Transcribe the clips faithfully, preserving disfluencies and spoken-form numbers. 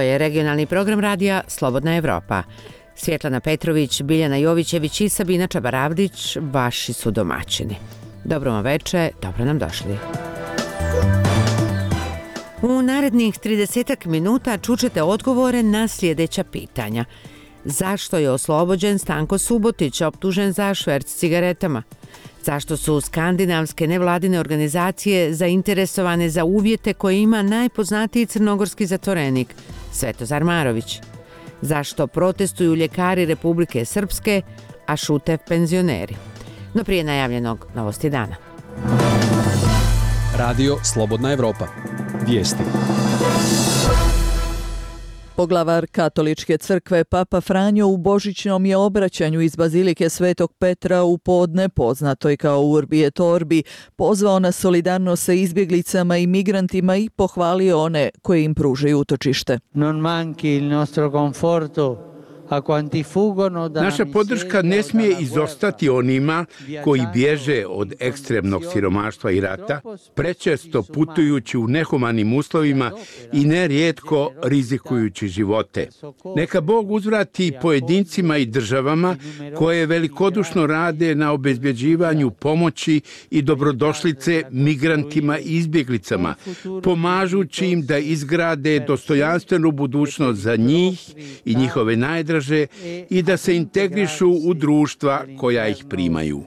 Ovo je regionalni program radija Slobodna Evropa. Svjetlana Petrović, Biljana Jovićević i Sabina Čabaravdić vaši su domaćini. Dobro vam veče, dobro nam došli. U narednih tridesetak minuta čućete odgovore na sljedeća pitanja. Zašto je oslobođen Stanko Subotić, optužen za šverc cigaretama? Zašto su skandinavske nevladine organizacije zainteresovane za uvjete koje ima najpoznatiji crnogorski zatvorenik, Svetozar Marović? Zašto protestuju ljekari Republike Srpske, a šute penzioneri? No prije najavljenog novosti dana. Radio Slobodna Evropa. Vijesti. Poglavar Katoličke crkve Papa Franjo u božićnom je obraćanju iz Bazilike Svetog Petra u podne, poznatoj kao Urbi et Orbi, pozvao na solidarnost sa izbjeglicama i migrantima i pohvalio one koji im pružaju utočište. Non manchi il nostro conforto. Naša podrška ne smije izostati onima koji bježe od ekstremnog siromaštva i rata, prečesto putujući u nehumanim uslovima i nerijetko rizikujući živote. Neka Bog uzvrati pojedincima i državama koje velikodušno rade na obezbjeđivanju pomoći i dobrodošlice migrantima i izbjeglicama, pomažući im da izgrade dostojanstvenu budućnost za njih i njihove najdraže i da se integrišu u društva koja ih primaju.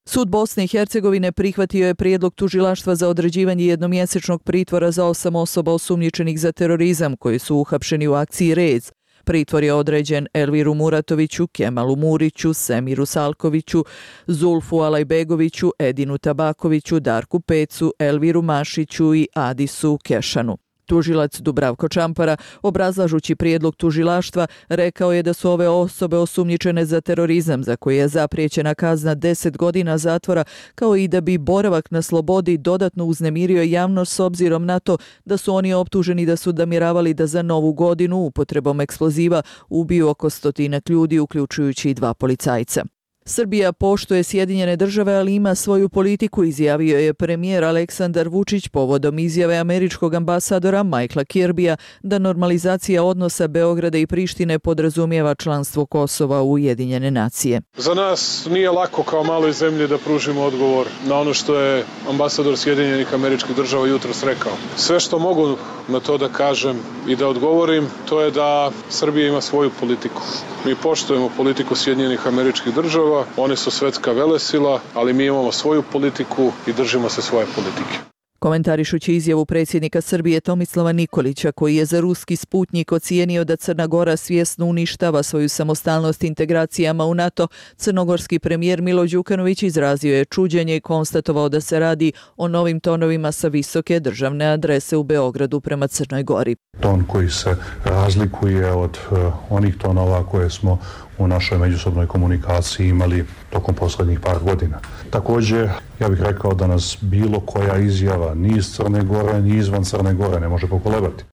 Sud Bosne i Hercegovine prihvatio je prijedlog tužilaštva za određivanje jednomjesečnog pritvora za osam osoba osumnjičenih za terorizam koji su uhapšeni u akciji Rez. Pritvor je određen Elviru Muratoviću, Kemalu Muriću, Semiru Salkoviću, Zulfu Alajbegoviću, Edinu Tabakoviću, Darku Pecu, Elviru Mašiću i Adisu Kešanu. Tužilac Dubravko Čampara, obrazlažući prijedlog tužilaštva, rekao je da su ove osobe osumnjičene za terorizam za koje je zapriječena kazna deset godina zatvora, kao i da bi boravak na slobodi dodatno uznemirio javnost s obzirom na to da su oni optuženi da su namjeravali da za novu godinu upotrebom eksploziva ubiju oko stotinak ljudi, uključujući i dva policajca. Srbija poštuje Sjedinjene države, ali ima svoju politiku, izjavio je premijer Aleksandar Vučić povodom izjave američkog ambasadora Michaela Kirbija da normalizacija odnosa Beograda i Prištine podrazumijeva članstvo Kosova u Ujedinjene nacije. Za nas nije lako kao maloj zemlji da pružimo odgovor na ono što je ambasador Sjedinjenih američkih država jutros rekao. Sve što mogu na to da kažem i da odgovorim, to je da Srbija ima svoju politiku. Mi poštujemo politiku Sjedinjenih američkih država. One su svetska velesila, ali mi imamo svoju politiku i držimo se svoje politike. Komentarišući izjavu predsjednika Srbije Tomislava Nikolića, koji je za ruski Sputnjik ocijenio da Crna Gora svjesno uništava svoju samostalnost integracijama u NATO, crnogorski premijer Milo Đukanović izrazio je čuđenje i konstatovao da se radi o novim tonovima sa visoke državne adrese u Beogradu prema Crnoj Gori. Ton koji se razlikuje od uh, onih tonova koje smo u našoj međusobnoj komunikaciji imali tokom posljednjih par godina. Također, ja bih rekao da nas bilo koja izjava ni iz Crne Gore, ni izvan Crne Gore ne može pokolebati.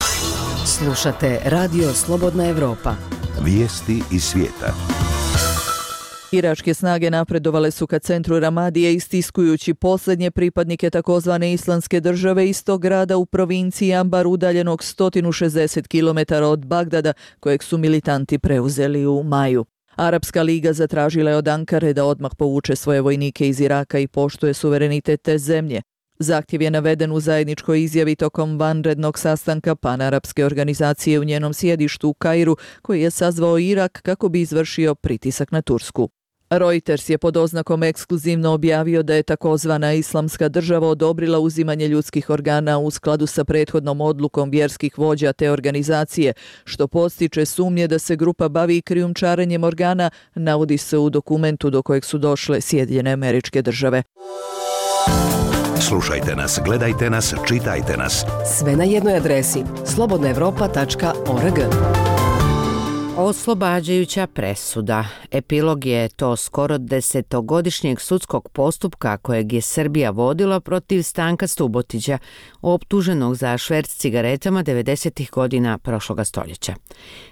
Slušate Radio Slobodna Evropa. Vijesti iz svijeta. Iračke snage napredovale su ka centru Ramadije istiskujući posljednje pripadnike takozvane islamske države iz tog grada u provinciji Ambar udaljenog sto šezdeset kilometara od Bagdada, kojeg su militanti preuzeli u maju. Arapska liga zatražila je od Ankare da odmah povuče svoje vojnike iz Iraka i poštuje suverenitet te zemlje. Zahtjev je naveden u zajedničkoj izjavi tokom vanrednog sastanka panarapske organizacije u njenom sjedištu u Kairu, koji je sazvao Irak kako bi izvršio pritisak na Tursku. Reuters je pod oznakom ekskluzivno objavio da je takozvana islamska država odobrila uzimanje ljudskih organa u skladu sa prethodnom odlukom vjerskih vođa te organizacije, što podstiče sumnje da se grupa bavi krijumčarenjem organa, navodi se u dokumentu do kojeg su došle Sjedinjene Američke Države. Slušajte nas, gledajte nas, čitajte nas. Sve na jednoj adresi slobodna evropa tačka org. Oslobađajuća presuda. Epilog je to skoro desetogodišnjeg sudskog postupka kojeg je Srbija vodila protiv Stanka Subotića, optuženog za šverc cigaretama devedesetih godina prošloga stoljeća.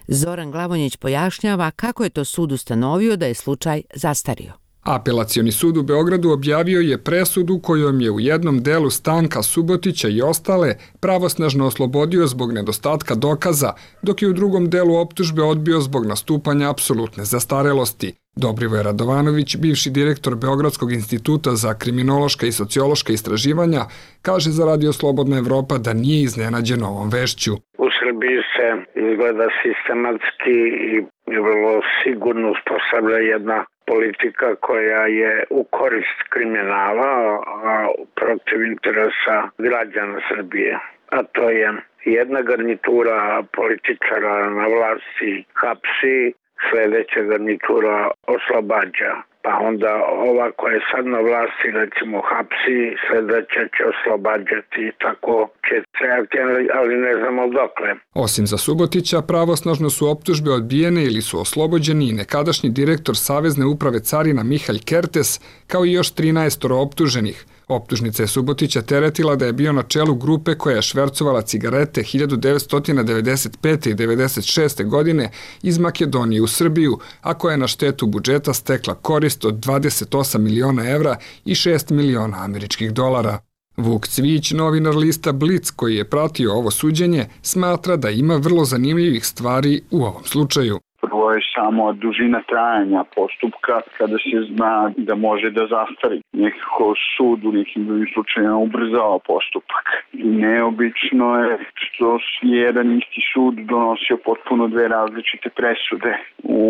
Zoran Glavonjić pojašnjava kako je to sud ustanovio da je slučaj zastario. Apelacioni sud u Beogradu objavio je presudu kojom je u jednom delu Stanka Subotića i ostale pravosnažno oslobodio zbog nedostatka dokaza, dok je u drugom delu optužbe odbio zbog nastupanja apsolutne zastarelosti. Dobrivoje Radovanović, bivši direktor Beogradskog instituta za kriminološka i sociološka istraživanja, kaže za Radio Slobodna Evropa da nije iznenađen ovom vešću. U Srbiji se izgleda sistematski i vrlo sigurno uspostavlja jedna politika koja je u korist kriminala, a protiv interesa građana Srbije. A to je jedna garnitura političara na vlasti hapsi, sljedeća garnitura oslobađa. Pa onda ova koja je sad na vlasti, recimo hapsi, sljedeća će oslobađati, tako će trajati, ali ne znamo dokle. Osim za Subotića, pravosnažno su optužbe odbijene ili su oslobođeni i nekadašnji direktor Savezne uprave carina Mihalj Kertes, kao i još trinaest optuženih. Optužnica je Subotića teretila da je bio na čelu grupe koja je švercovala cigarete hiljadu devetsto devedeset pete. i devedeset šeste. godine iz Makedonije u Srbiju, a koja je na štetu budžeta stekla korist od dvadeset osam miliona evra i šest miliona američkih dolara. Vuk Cvijić, novinar lista Blic koji je pratio ovo suđenje, smatra da ima vrlo zanimljivih stvari u ovom slučaju. Prvo je samo dužina trajanja postupka kada se zna da može da zastari. Nekako sud u nekim drugim slučajima ubrzao postupak. Neobično je što je jedan isti sud donosio potpuno dve različite presude u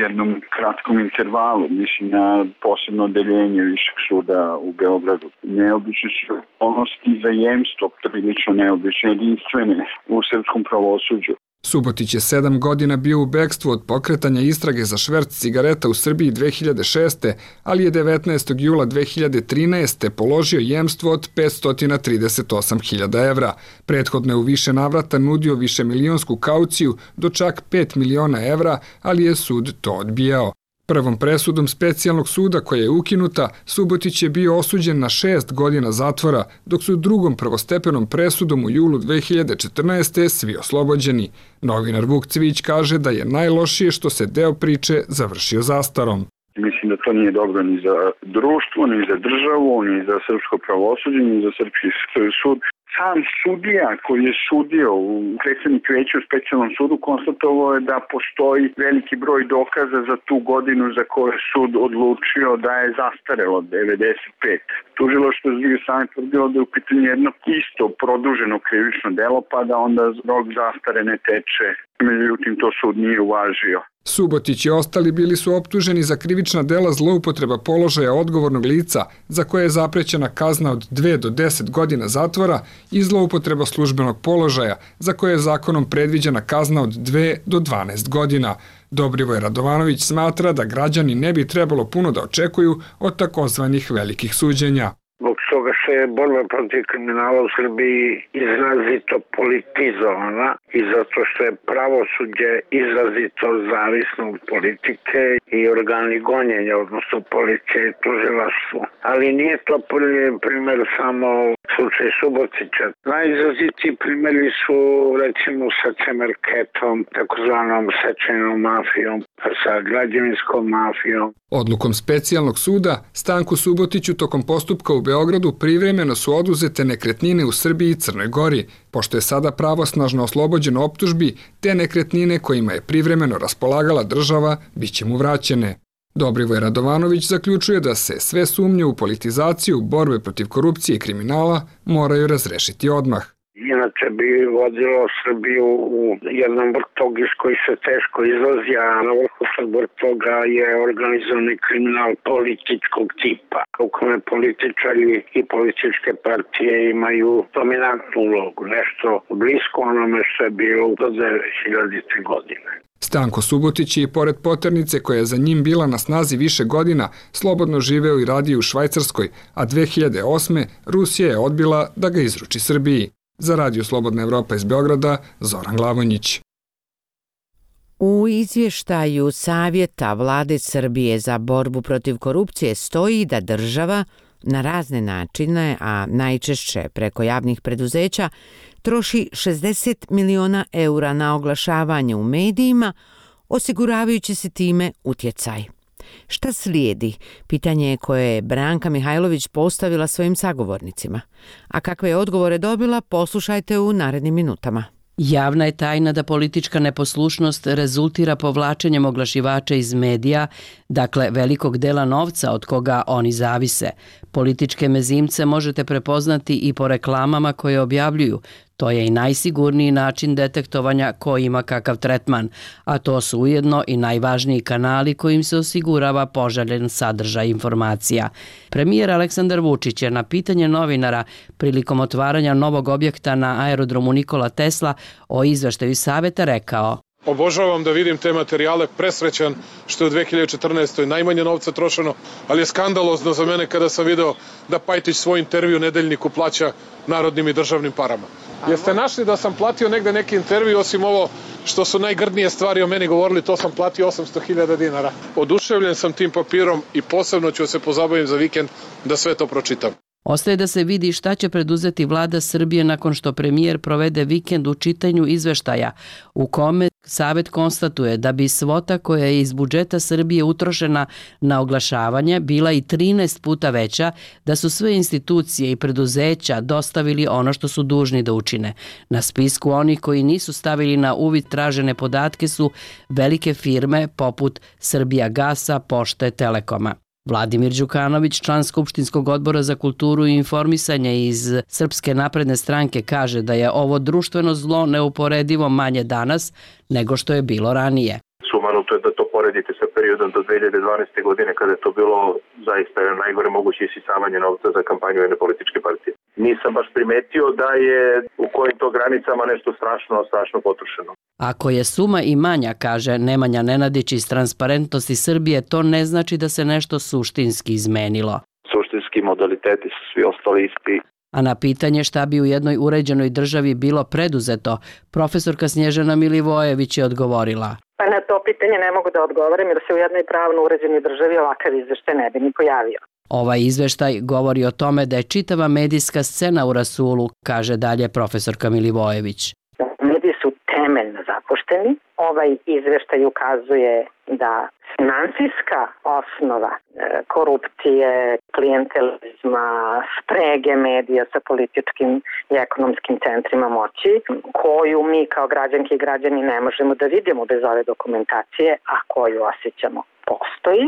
jednom kratkom intervalu, mislim na posebno odeljenje Višeg suda u Beogradu. Neobično su okolnosti za jemstvo, prilično neobično jedinstvene u srpskom pravosuđu. Subotić je sedam godina bio u bekstvu od pokretanja istrage za šverc cigareta u Srbiji dve hiljade šeste. ali je devetnaestog jula dve hiljade trinaeste. položio jemstvo od petsto trideset osam hiljada evra. Prethodno je u više navrata nudio višemilionsku kauciju do čak pet miliona evra, ali je sud to odbijao. Prvom presudom specijalnog suda koja je ukinuta, Subotić je bio osuđen na šest godina zatvora, dok su drugom prvostepenom presudom u julu dve hiljade četrnaeste. svi oslobođeni. Novinar Vuk Cvijić kaže da je najlošije što se deo priče završio zastarom. Mislim da to nije dobro ni za društvo, ni za državu, ni za srpsko pravosuđe, ni za srpski sud. Sam sudija koji je sudio u predsjednik veća u specijalnom sudu konstatovao je da postoji veliki broj dokaza za tu godinu za koju je sud odlučio da je zastarelo devedeset pet. Tužilaštvo s druge strane tvrdilo da je u pitanju jedno isto produženo krivično delo, pa da onda rok zastare ne teče. Međutim, to sud nije uvažio. Subotić i ostali bili su optuženi za krivična dela zloupotreba položaja odgovornog lica, za koje je zaprećena kazna od dve do deset godina zatvora, i zloupotreba službenog položaja, za koje je zakonom predviđena kazna od dve do dvanaest godina. Dobrivoje Radovanović smatra da građani ne bi trebalo puno da očekuju od takozvanih velikih suđenja. Zbog toga što je borba protiv kriminala u Srbiji izrazito politizovana i zato što je pravosuđe izrazito zavisno od politike i organi gonjenja, odnosno policije i tužilaštvo. Ali nije to prvi primjer samo slučaj Subotića. Najizrazitiji primjeri su recimo sa Cemerketom, takozvanom sečajnom mafijom, sa građevinskom mafijom. Odlukom specijalnog suda, Stanku Subotiću tokom postupka u Beogradu privremeno su oduzete nekretnine u Srbiji i Crnoj Gori. Pošto je sada pravosnažno oslobođen optužbi, te nekretnine kojima je privremeno raspolagala država bit će mu vraćene. Dobrivoje Radovanović zaključuje da se sve sumnje u politizaciju borbe protiv korupcije i kriminala moraju razrešiti odmah. Inače bi vodilo Srbiju u jednom vrtog iz koji se teško izlazi, a na vrhu tog vrtoga je organizovani kriminal političkog tipa, u kome političari i političke partije imaju dominantnu ulogu, nešto blisko onome što je bilo do dvehiljadite. godine. Stanko Subotić je i pored poternice koja je za njim bila na snazi više godina, slobodno živeo i radio u Švajcarskoj, a dve hiljade osme. Rusija je odbila da ga izruči Srbiji. Za Radio Slobodna Evropa iz Beograda, Zoran Glavonjić. U izvještaju Savjeta Vlade Srbije za borbu protiv korupcije stoji da država na razne načine, a najčešće preko javnih preduzeća, troši šezdeset miliona eura na oglašavanje u medijima, osiguravajući se time utjecaj. Šta slijedi? Pitanje je koje je Branka Mihajlović postavila svojim sagovornicima. A kakve je odgovore dobila, poslušajte u narednim minutama. Javna je tajna da politička neposlušnost rezultira povlačenjem oglašivača iz medija, dakle velikog dela novca od koga oni zavise. Političke mezimce možete prepoznati i po reklamama koje objavljuju. To je i najsigurniji način detektovanja ko ima kakav tretman, a to su ujedno i najvažniji kanali kojim se osigurava poželjen sadržaj informacija. Premijer Aleksandar Vučić je na pitanje novinara prilikom otvaranja novog objekta na aerodromu Nikola Tesla o izveštaju saveta rekao: Obožavam da vidim te materijale, presrećan što je u dve hiljade četrnaestoj najmanje novca trošeno, ali je skandalozno za mene kada sam video da Pajtić svoj intervju nedeljniku plaća narodnim i državnim parama. Jeste našli da sam platio negde neki intervju, osim ovo što su najgrdnije stvari o meni govorili, to sam platio osamsto hiljada dinara. Oduševljen sam tim papirom i posebno ću se pozabaviti za vikend da sve to pročitam. Ostaje da se vidi šta će preduzeti vlada Srbije nakon što premijer provede vikend u čitanju izveštaja, u kome Savet konstatuje da bi svota koja je iz budžeta Srbije utrošena na oglašavanje bila i trinaest puta veća, da su sve institucije i preduzeća dostavili ono što su dužni da učine. Na spisku onih koji nisu stavili na uvid tražene podatke su velike firme poput Srbijagasa, Pošte, Telekoma. Vladimir Đukanović, član Skupštinskog odbora za kulturu i informisanje iz Srpske napredne stranke, kaže da je ovo društveno zlo neuporedivo manje danas nego što je bilo ranije. Sumanuto je da to poredite sa periodom do dve hiljade dvanaeste. godine kada je to bilo zaista najgore moguće isisavanje novca za kampanju jedne političke partije. Nisam baš primetio da je u kojim to granicama nešto strašno, strašno potrošeno. Ako je suma i manja, kaže Nemanja Nenadić iz Transparentnosti Srbije, to ne znači da se nešto suštinski izmenilo. Suštinski modaliteti su svi ostali isti. A na pitanje šta bi u jednoj uređenoj državi bilo preduzeto, profesorka Snježana Milivojević je odgovorila: Pa na to pitanje ne mogu da odgovorim jer se u jednoj pravno uređenoj državi ovakav izveštaj ne bi ni pojavio. Ovaj izveštaj govori o tome da je čitava medijska scena u rasulu, kaže dalje profesorka Milivojević. Mediji su temeljno zapušteni. Ovaj izveštaj ukazuje da finansijska osnova korupcije, klijentelizma, sprege medija sa političkim i ekonomskim centrima moći, koju mi kao građanke i građani ne možemo da vidimo bez ove dokumentacije, a koju osjećamo, postoji,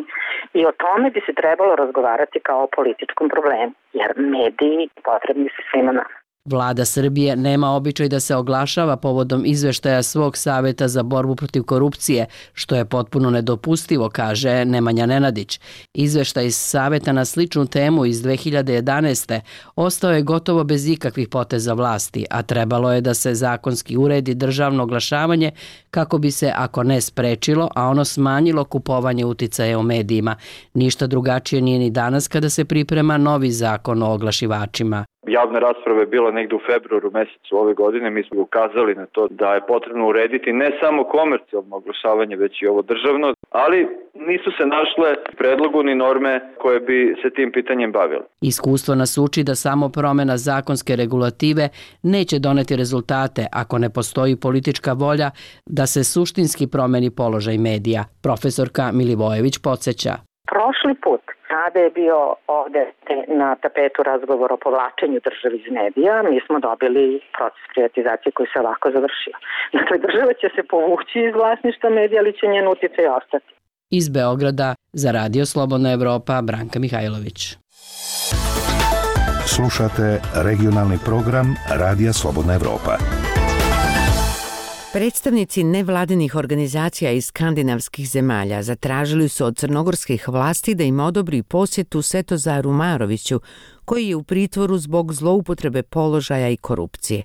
i o tome bi se trebalo razgovarati kao o političkom problemu, jer mediji potrebni su svima nama. Vlada Srbije nema običaj da se oglašava povodom izveštaja svog saveta za borbu protiv korupcije, što je potpuno nedopustivo, kaže Nemanja Nenadić. Izveštaj iz saveta na sličnu temu iz dve hiljade jedanaeste. ostao je gotovo bez ikakvih poteza vlasti, a trebalo je da se zakonski uredi državno oglašavanje kako bi se, ako ne sprečilo, a ono smanjilo kupovanje uticaja u medijima. Ništa drugačije nije ni danas kada se priprema novi zakon o oglašivačima. Javna rasprava je bila negde u februaru mesecu ove godine. Mi smo ukazali na to da je potrebno urediti ne samo komercijalno oglašavanje, već i ovo državno, ali nisu se našle predlogu ni norme koje bi se tim pitanjem bavile. Iskustvo nas uči da samo promjena zakonske regulative neće doneti rezultate ako ne postoji politička volja da se suštinski promeni položaj medija. Profesorka Milivojević podsjeća. Prošli put kada je bio ovde na tapetu razgovor o povlačenju države iz medija, mi smo dobili proces privatizacije koji se ovako završio. Dakle, država će se povući iz vlasništva medija, ali će njen uticaj ostati. Iz Beograda za Radio Slobodna Evropa, Branka Mihajlović. Slušate regionalni program Radija Slobodna Evropa. Predstavnici nevladinih organizacija iz skandinavskih zemalja zatražili su od crnogorskih vlasti da im odobri posjetu Svetozaru Maroviću, koji je u pritvoru zbog zloupotrebe položaja i korupcije.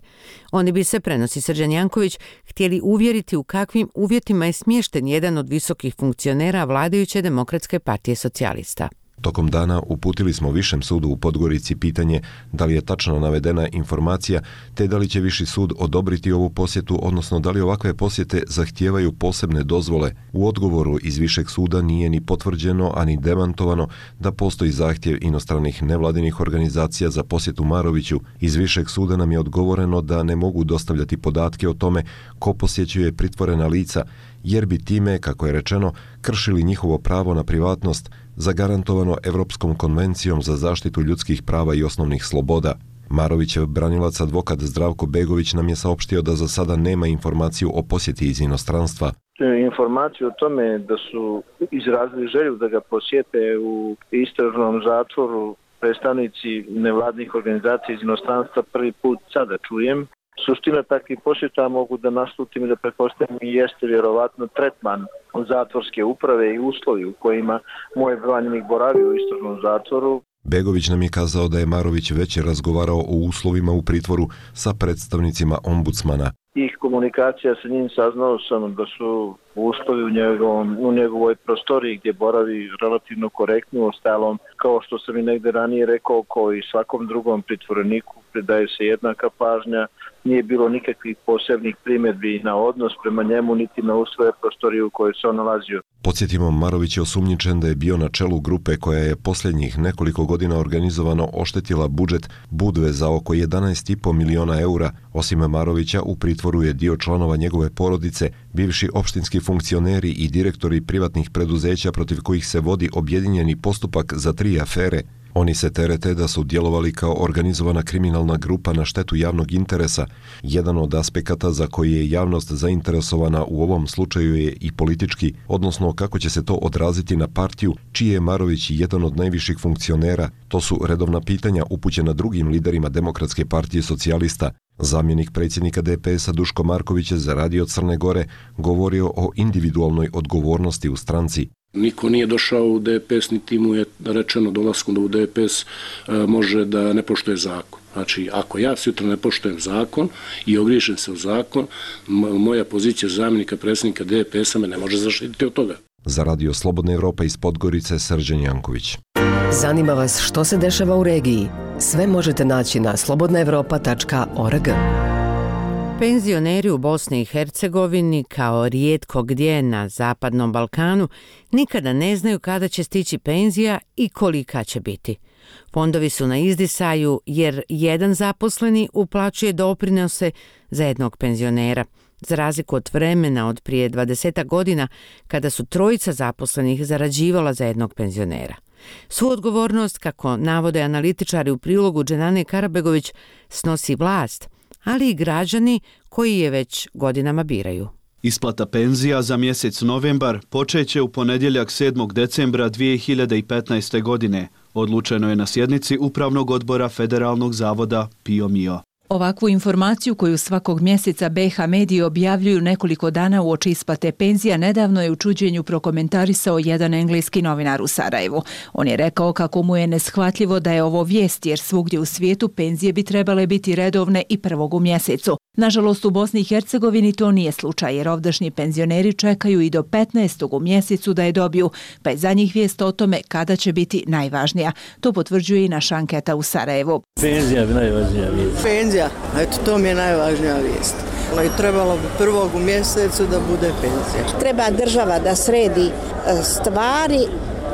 Oni bi se, prenosi Srđan Janković, htjeli uvjeriti u kakvim uvjetima je smješten jedan od visokih funkcionera vladajuće Demokratske partije socijalista. Tokom dana uputili smo Višem sudu u Podgorici pitanje da li je tačno navedena informacija, te da li će Viši sud odobriti ovu posjetu, odnosno da li ovakve posjete zahtijevaju posebne dozvole. U odgovoru iz Višeg suda nije ni potvrđeno, ani demantovano da postoji zahtjev inostranih nevladinih organizacija za posjetu Maroviću. Iz Višeg suda nam je odgovoreno da ne mogu dostavljati podatke o tome ko posjećuje pritvorena lica, jer bi time, kako je rečeno, kršili njihovo pravo na privatnost zagarantovano Evropskom konvencijom za zaštitu ljudskih prava i osnovnih sloboda. Marovićev branilac advokat Zdravko Begović nam je saopštio da za sada nema informaciju o posjeti iz inostranstva. Informaciju o tome da su izrazili želju da ga posjete u istražnom zatvoru predstavnici nevladnih organizacija iz inostranstva prvi put sada čujem. Suština takvih posjeta mogu da naslutim i da pretpostavim i jeste vjerovatno tretman zatvorske uprave i uslovi u kojima moj branjenik boravi u istražnom zatvoru. Begović nam je kazao da je Marović već razgovarao o uslovima u pritvoru sa predstavnicima ombudsmana. Tih komunikacija sa njim saznao sam da su uslovi u, njegovom, u njegovoj prostoriji gdje boravi relativno korektno, ostalom kao što sam i negde ranije rekao, kao i svakom drugom pritvoreniku predaje se jednaka pažnja, nije bilo nikakvih posebnih primjedbi na odnos prema njemu niti na uslove prostorije u kojoj se on nalazio. Podsjetimo, Marović je osumnjičen da je bio na čelu grupe koja je posljednjih nekoliko godina organizovano oštetila budžet Budve za oko jedanaest i po miliona eura. Osim Marovića, u pritvoru je dio članova njegove porodice, bivši opštinski funkcioneri i direktori privatnih preduzeća protiv kojih se vodi objedinjeni postupak za tri afere. Oni se terete da su djelovali kao organizovana kriminalna grupa na štetu javnog interesa. Jedan od aspekata za koji je javnost zainteresovana u ovom slučaju je i politički, odnosno kako će se to odraziti na partiju čiji je Marović jedan od najviših funkcionera. To su redovna pitanja upućena drugim liderima Demokratske partije socijalista. Zamjenik predsjednika D P S-a Duško Marković je za Radio Crne Gore govorio o individualnoj odgovornosti u stranci. Niko nije došao u D P S, niti mu je rečeno dolaskom da u D P S može da ne poštuje zakon. Znači, ako ja sutra ne poštujem zakon i ogriješim se u zakon, moja pozicija zamjenika predsjednika D P S-a me ne može zaštititi od toga. Za Radio Slobodna Evropa iz Podgorice, Srđan Janković. Zanima vas što se dešava u regiji? Sve možete naći na slobodna evropa tačka org. Penzioneri u Bosni i Hercegovini, kao rijetko gdje na Zapadnom Balkanu, nikada ne znaju kada će stići penzija i kolika će biti. Fondovi su na izdisaju jer jedan zaposleni uplaćuje doprinose za jednog penzionera, za razliku od vremena od prije dvadeset godina kada su trojica zaposlenih zarađivala za jednog penzionera. Svu odgovornost, kako navode analitičari u prilogu Dženane Karabegović, snosi vlast, ali i građani koji je već godinama biraju. Isplata penzija za mjesec novembar počeće u ponedjeljak sedmog decembra dvije hiljade petnaeste. godine. Odlučeno je na sjednici Upravnog odbora Federalnog zavoda Pio Mio. Ovakvu informaciju koju svakog mjeseca B H mediji objavljuju nekoliko dana uoči isplate penzija nedavno je u čuđenju prokomentarisao jedan engleski novinar u Sarajevu. On je rekao kako mu je neshvatljivo da je ovo vijest jer svugdje u svijetu penzije bi trebale biti redovne i prvog u mjesecu. Nažalost, u Bosni i Hercegovini to nije slučaj jer ovdašnji penzioneri čekaju i do petnaestog u mjesecu da je dobiju, pa je za njih vijest o tome kada će biti najvažnija. To potvrđuje i naša anketa u Sarajevu. Penzija je najvažnija vijest. Penzija, eto to mi je najvažnija vijest. I trebalo bi prvog u mjesecu da bude penzija. Treba država da sredi stvari,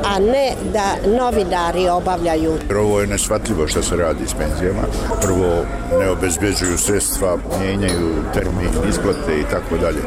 a ne da novinari obavljaju. Ovo je neshvatljivo što se radi s penzijama. Prvo, ne obezbeđuju sredstva, mijenjaju termin isplate i tako dalje.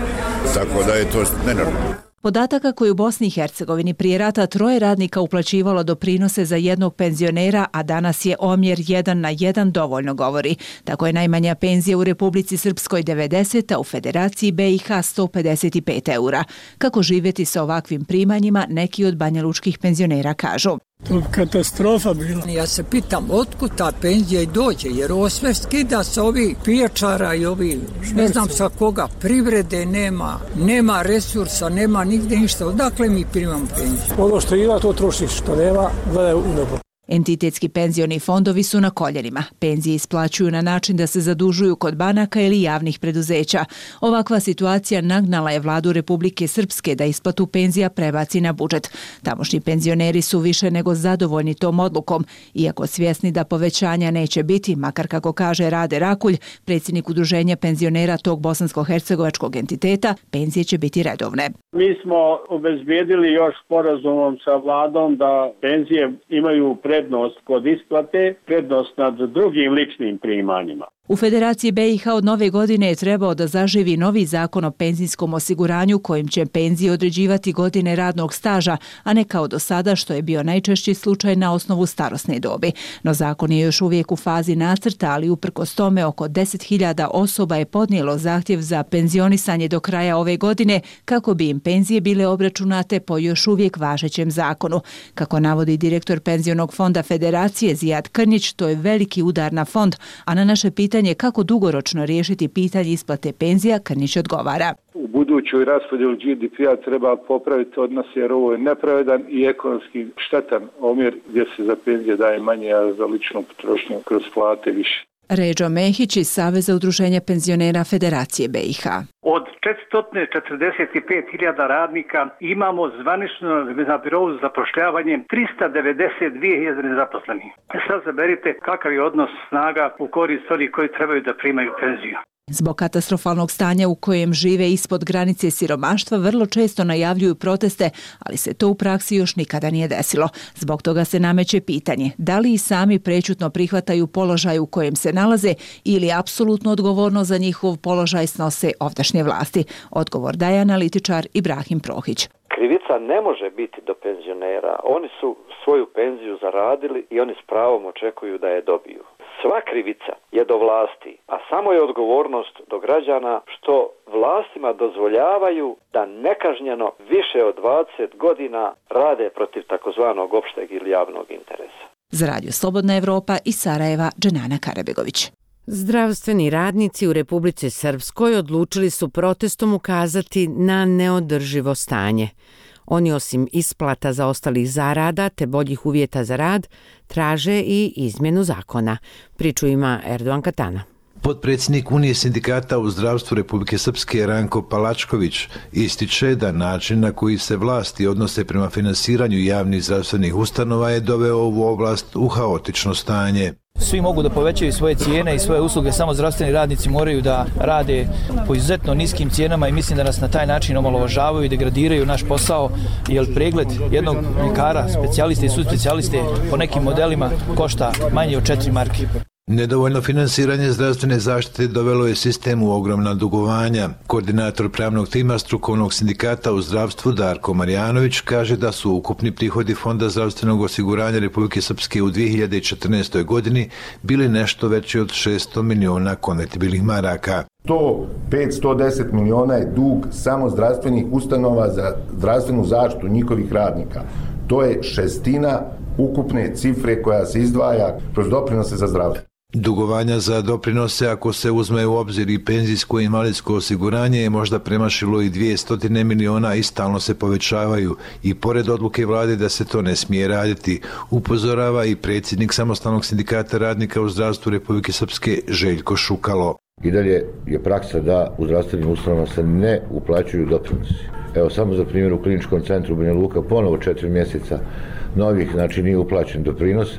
Tako da je to nenormalno. Podataka koji u Bosni i Hercegovini prije rata troje radnika uplaćivalo doprinose za jednog penzionera, a danas je omjer jedan na jedan dovoljno govori. Tako je najmanja penzija u Republici Srpskoj devedeset, a u Federaciji B i H sto pedeset pet eura. Kako živjeti sa ovakvim primanjima, neki od banjalučkih penzionera kažu. To katastrofa bila. Ja se pitam otkud ta penzija i dođe, jer ovo sve skida sa ovih pijačara i ovih, ne znam sa koga, privrede nema, nema resursa, nema nigde ništa. Odakle mi primamo penziju? Ono što ima, to trošiš, što nema, gledaj u nebo. Entitetski penzioni fondovi su na koljenima. Penzije isplaćuju na način da se zadužuju kod banaka ili javnih preduzeća. Ovakva situacija nagnala je vladu Republike Srpske da isplatu penzija prebaci na budžet. Tamošnji penzioneri su više nego zadovoljni tom odlukom, iako svjesni da povećanja neće biti, makar kako kaže Rade Rakulj, predsjednik udruženja penzionera tog bosansko-hercegovačkog entiteta, penzije će biti redovne. Mi smo obezbijedili još sporazumom sa vladom da penzije imaju prednost kod isplate, prednost nad drugim ličnim primanjima. U Federaciji B i H od nove godine je trebao da zaživi novi zakon o penzijskom osiguranju kojim će penzije određivati godine radnog staža, a ne kao do sada što je bio najčešći slučaj na osnovu starosne dobi. No zakon je još uvijek u fazi nacrta, ali uprkos tome oko deset hiljada osoba je podnijelo zahtjev za penzionisanje do kraja ove godine kako bi im penzije bile obračunate po još uvijek važećem zakonu. Kako navodi direktor Penzionog fonda Federacije Zijad Krnić, to je veliki udar na fond, a na naše pitanje kako dugoročno riješiti pitanje isplate penzija, Krnić odgovara. U budućoj raspodjeli G D P-a treba popraviti odnos jer ovo je nepravedan i ekonomski štetan omjer gdje se za penzije daje manje, a za ličnu potrošnju kroz plate više. Ređo Mehić iz Saveza udruženja penzionera Federacije B i H. Od četiristo četrdeset pet hiljada radnika imamo zvanično na birou za zapošljavanje trista devedeset dvije hiljade nezaposlenih. Sad zaberite kakav je odnos snaga u korist onih koji trebaju da primaju penziju. Zbog katastrofalnog stanja u kojem žive ispod granice siromaštva vrlo često najavljuju proteste, ali se to u praksi još nikada nije desilo. Zbog toga se nameće pitanje da li i sami prečutno prihvataju položaj u kojem se nalaze ili apsolutno odgovorno za njihov položaj snose ovdašnje vlasti. Odgovor daje analitičar Ibrahim Prohić. Krivica ne može biti do penzionera. Oni su svoju penziju zaradili i oni s pravom očekuju da je dobiju. Sva krivica je do vlasti, a samo je odgovornost do građana što vlastima dozvoljavaju da nekažnjeno više od dvadeset godina rade protiv takozvanog opšteg ili javnog interesa. Za Radio Slobodna Evropa iz Sarajeva, Dženana Karabegović. Zdravstveni radnici u Republici Srpskoj odlučili su protestom ukazati na neodrživo stanje. Oni osim isplata zaostalih zarada te boljih uvjeta za rad, traže i izmjenu zakona. Priču ima Erdogan Katana. Potpredsjednik Unije sindikata u zdravstvu Republike Srpske Ranko Palačković ističe da način na koji se vlasti odnose prema finansiranju javnih zdravstvenih ustanova je doveo ovu oblast u haotično stanje. Svi mogu da povećaju svoje cijene i svoje usluge, samo zdravstveni radnici moraju da rade po izuzetno niskim cijenama i mislim da nas na taj način omalovažavaju i degradiraju naš posao, jer pregled jednog ljekara, specijaliste i subspecijaliste po nekim modelima košta manje od četiri marke. Nedovoljno finansiranje zdravstvene zaštite dovelo je sistem u ogromna dugovanja. Koordinator pravnog tima strukovnog sindikata u zdravstvu Darko Marjanović kaže da su ukupni prihodi Fonda zdravstvenog osiguranja Republike Srpske u dvije hiljade četrnaestoj godini bili nešto veći od šesto miliona konvertibilnih maraka. sto pet do sto deset miliona je dug samo zdravstvenih ustanova za zdravstvenu zaštitu njihovih radnika. To je šestina ukupne cifre koja se izdvaja kroz doprinose za zdravstvo. Dugovanja za doprinose, ako se uzme u obzir i penzijsko i invalidsko osiguranje, je možda premašilo i dvjesto miliona i stalno se povećavaju. I pored odluke vlade da se to ne smije raditi, upozorava i predsjednik Samostalnog sindikata radnika u zdravstvu Republike Srpske Željko Šukalo. I dalje je praksa da u zdravstvenim ustanovama se ne uplaćuju doprinosi. Evo samo za primjer u kliničkom centru Banja Luka ponovo četiri mjeseca novih, znači nije uplaćen doprinos,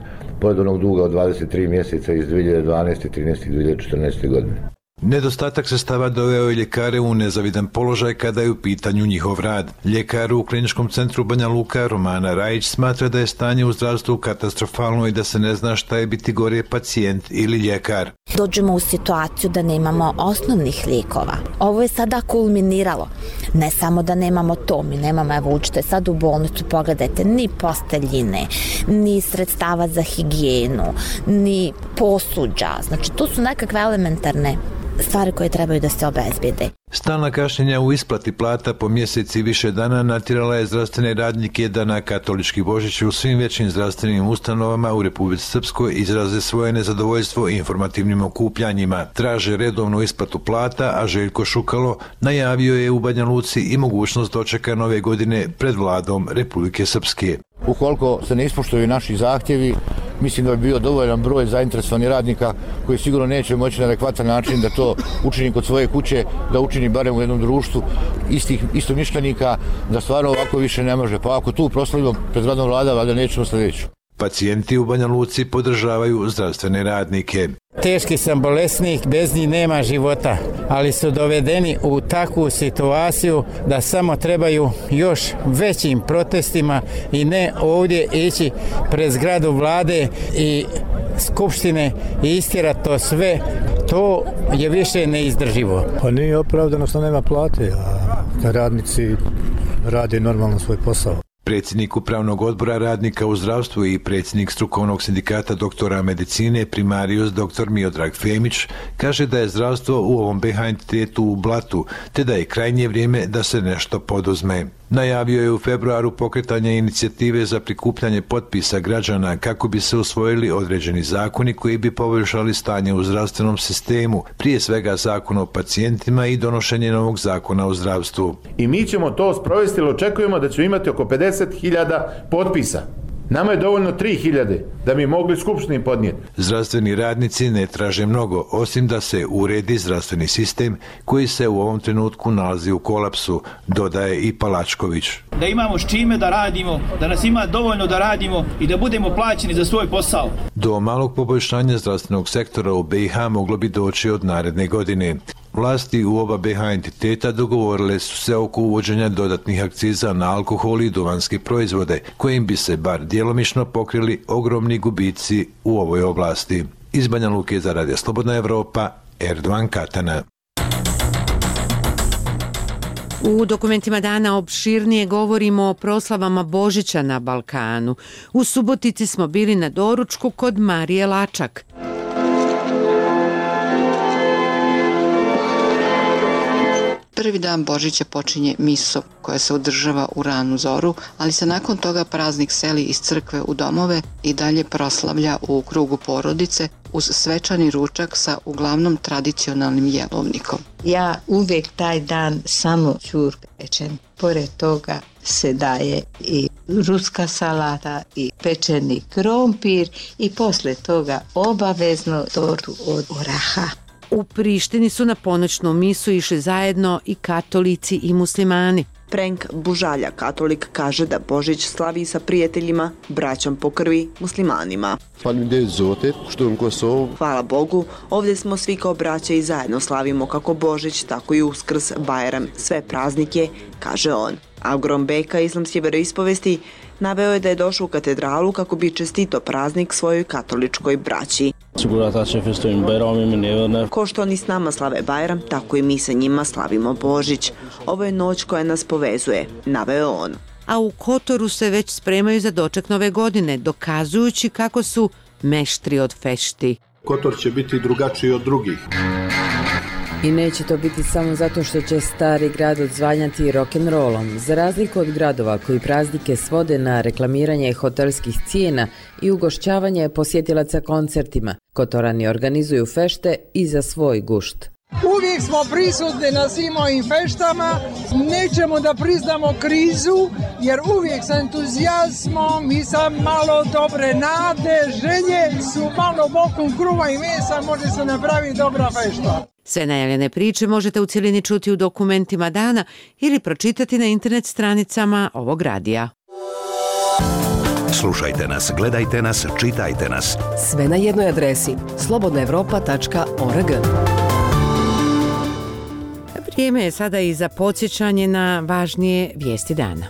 pored onog duga od dvadeset tri mjeseca iz dvije hiljade dvanaeste, trinaeste i dvije hiljade četrnaeste. godine. Nedostatak sredstava doveo je ljekare u nezavidan položaj kada je u pitanju njihov rad. Ljekar u kliničkom centru Banja Luka Romana Rajić smatra da je stanje u zdravstvu katastrofalno i da se ne zna šta je biti gore pacijent ili ljekar. Dođemo u situaciju da nemamo osnovnih lijekova. Ovo je sada kulminiralo. Ne samo da nemamo to, mi nemamo, evo učite sad u bolnicu, pogledajte, ni posteljine, ni sredstava za higijenu, ni posuđa. Znači, to su nekakve elementarne stvari koje trebaju da se obezbede. Stalna kašnjenja u isplati plata po mjeseci više dana natjerala je zdravstvene radnike da na katolički Božić u svim većim zdravstvenim ustanovama u Republici Srpskoj izraze svoje nezadovoljstvo informativnim okupljanjima. Traže redovnu isplatu plata, a Željko Šukalo najavio je u Banja Luci i mogućnost dočeka nove godine pred vladom Republike Srpske. Ukoliko se ne ispoštuju naši zahtjevi, mislim da bi bio dovoljan broj zainteresovanih radnika koji sigurno neće moći na adekvatan način da to učini kod svoje kuće, da učini barem u jednom društvu istih istomišljenika, da stvarno ovako više ne može. Pa ako tu proslavimo pred radnom vlada, valjda nećemo sljedeću. Pacijenti u Banja Luci podržavaju zdravstvene radnike. Teški sam bolesnik, bez njih nema života, ali su dovedeni u takvu situaciju da samo trebaju još većim protestima i ne ovdje ići pred zgradu vlade i skupštine i istjerati to sve to je više neizdrživo. Pa nije opravdano što nema plate, a da radnici rade normalno svoj posao. Predsjednik Upravnog odbora radnika u zdravstvu i predsjednik strukovnog sindikata doktora medicine primarius dr. Miodrag Femić kaže da je zdravstvo u ovom B H entitetu u blatu, te da je krajnje vrijeme da se nešto poduzme. Najavio je u februaru pokretanje inicijative za prikupljanje potpisa građana kako bi se usvojili određeni zakoni koji bi poboljšali stanje u zdravstvenom sistemu, prije svega zakon o pacijentima i donošenje novog zakona o zdravstvu. I mi ćemo to sprovesti, jer očekujemo da ćemo imati oko pedeset hiljada potpisa. Nama je dovoljno tri hiljade da bi mogli skupštini podnijeti. Zdravstveni radnici ne traže mnogo, osim da se uredi zdravstveni sistem koji se u ovom trenutku nalazi u kolapsu, dodaje i Palačković. Da imamo s čime da radimo, da nas ima dovoljno da radimo i da budemo plaćeni za svoj posao. Do malog poboljšanja zdravstvenog sektora u B i H moglo bi doći od naredne godine. Vlasti u oba B H entiteta dogovorile su se oko uvođenja dodatnih akciza na alkohol i duvanske proizvode, kojim bi se bar djelomično pokrili ogromni gubici u ovoj oblasti. Iz Banja Luke za Radio Slobodna Evropa, Erdovan Katana. U dokumentima dana opširnije govorimo o proslavama Božića na Balkanu. U Subotici smo bili na doručku kod Marije Lačak. Prvi dan Božića počinje miso koja se održava u ranu zoru, ali se nakon toga praznik seli iz crkve u domove i dalje proslavlja u krugu porodice uz svečani ručak sa uglavnom tradicionalnim jelovnikom. Ja uvijek taj dan samo ćur pečem. Pored toga se daje i ruska salata i pečeni krompir i posle toga obavezno tortu od oraha. U Prištini su na ponoćnu misu išli zajedno i katolici i muslimani. Frank Bužalja, katolik, kaže da Božić slavi sa prijateljima, braćom po krvi, muslimanima. Hvala Bogu, ovdje smo svi kao braća i zajedno slavimo kako Božić, tako i Uskrs, Bajram, sve praznike, kaže on. Agrom Beka, islamske vjeroispovesti, naveo je da je došao u katedralu kako bi čestito praznik svojoj katoličkoj braći. Ko što oni s nama slave Bajram, tako i mi sa njima slavimo Božić. Ovo je noć koja nas povezuje, naveo on. A u Kotoru se već spremaju za doček nove godine, dokazujući kako su meštri od fešti. Kotor će biti drugačiji od drugih. I neće to biti samo zato što će stari grad odzvanjati rock'n'rollom. Za razliku od gradova koji praznike svode na reklamiranje hotelskih cijena i ugošćavanje posjetilaca koncertima, Kotorani organizuju fešte i za svoj gušt. Uvijek smo prisutni na svim ovim feštama, nećemo da priznamo krizu, jer uvijek sa entuzijazmom i sa malo dobre nade, želje su malo bokom kruva i mesa, može se napraviti dobra fešta. Sve najavljene priče možete u cjelini čuti u dokumentima dana ili pročitati na internet stranicama ovog radija. Slušajte nas, gledajte nas, čitajte nas. Sve na jednoj adresi slobodna evropa tačka org. Vrijeme je sada i za podsjećanje na važnije vijesti dana.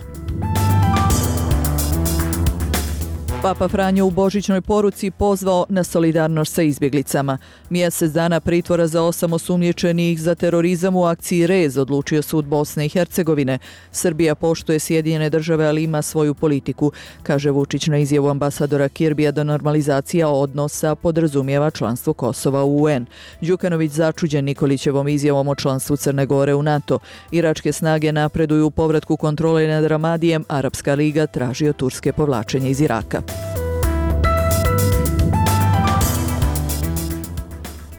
Papa Franjo u božićnoj poruci pozvao na solidarnost sa izbjeglicama. Mjesec dana pritvora za osam osumnjičenih za terorizam u akciji Rez odlučio sud Bosne i Hercegovine. Srbija poštuje Sjedinjene države, ali ima svoju politiku, kaže Vučić na izjavu ambasadora Kirbija da normalizacija odnosa podrazumijeva članstvo Kosova u U N. Đukanović začuđen Nikolićevom izjavom o članstvu Crne Gore u NATO. Iračke snage napreduju u povratku kontrole nad Ramadijem, Arapska liga traži od Turske povlačenje iz Iraka.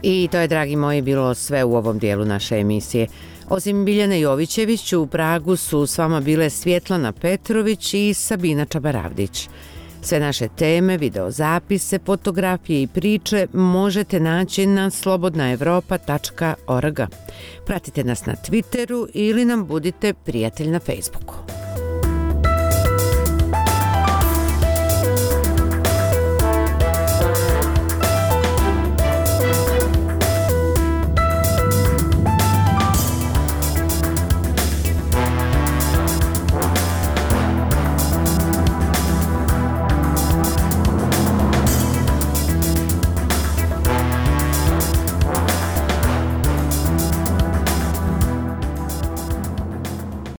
I to je, dragi moji, bilo sve u ovom dijelu naše emisije. Osim Biljane Jovićević, u Pragu su s vama bile Svjetlana Petrović i Sabina Čabaravdić. Sve naše teme, videozapise, fotografije i priče možete naći na slobodna evropa tačka org. Pratite nas na Twitteru ili nam budite prijatelj na Facebooku.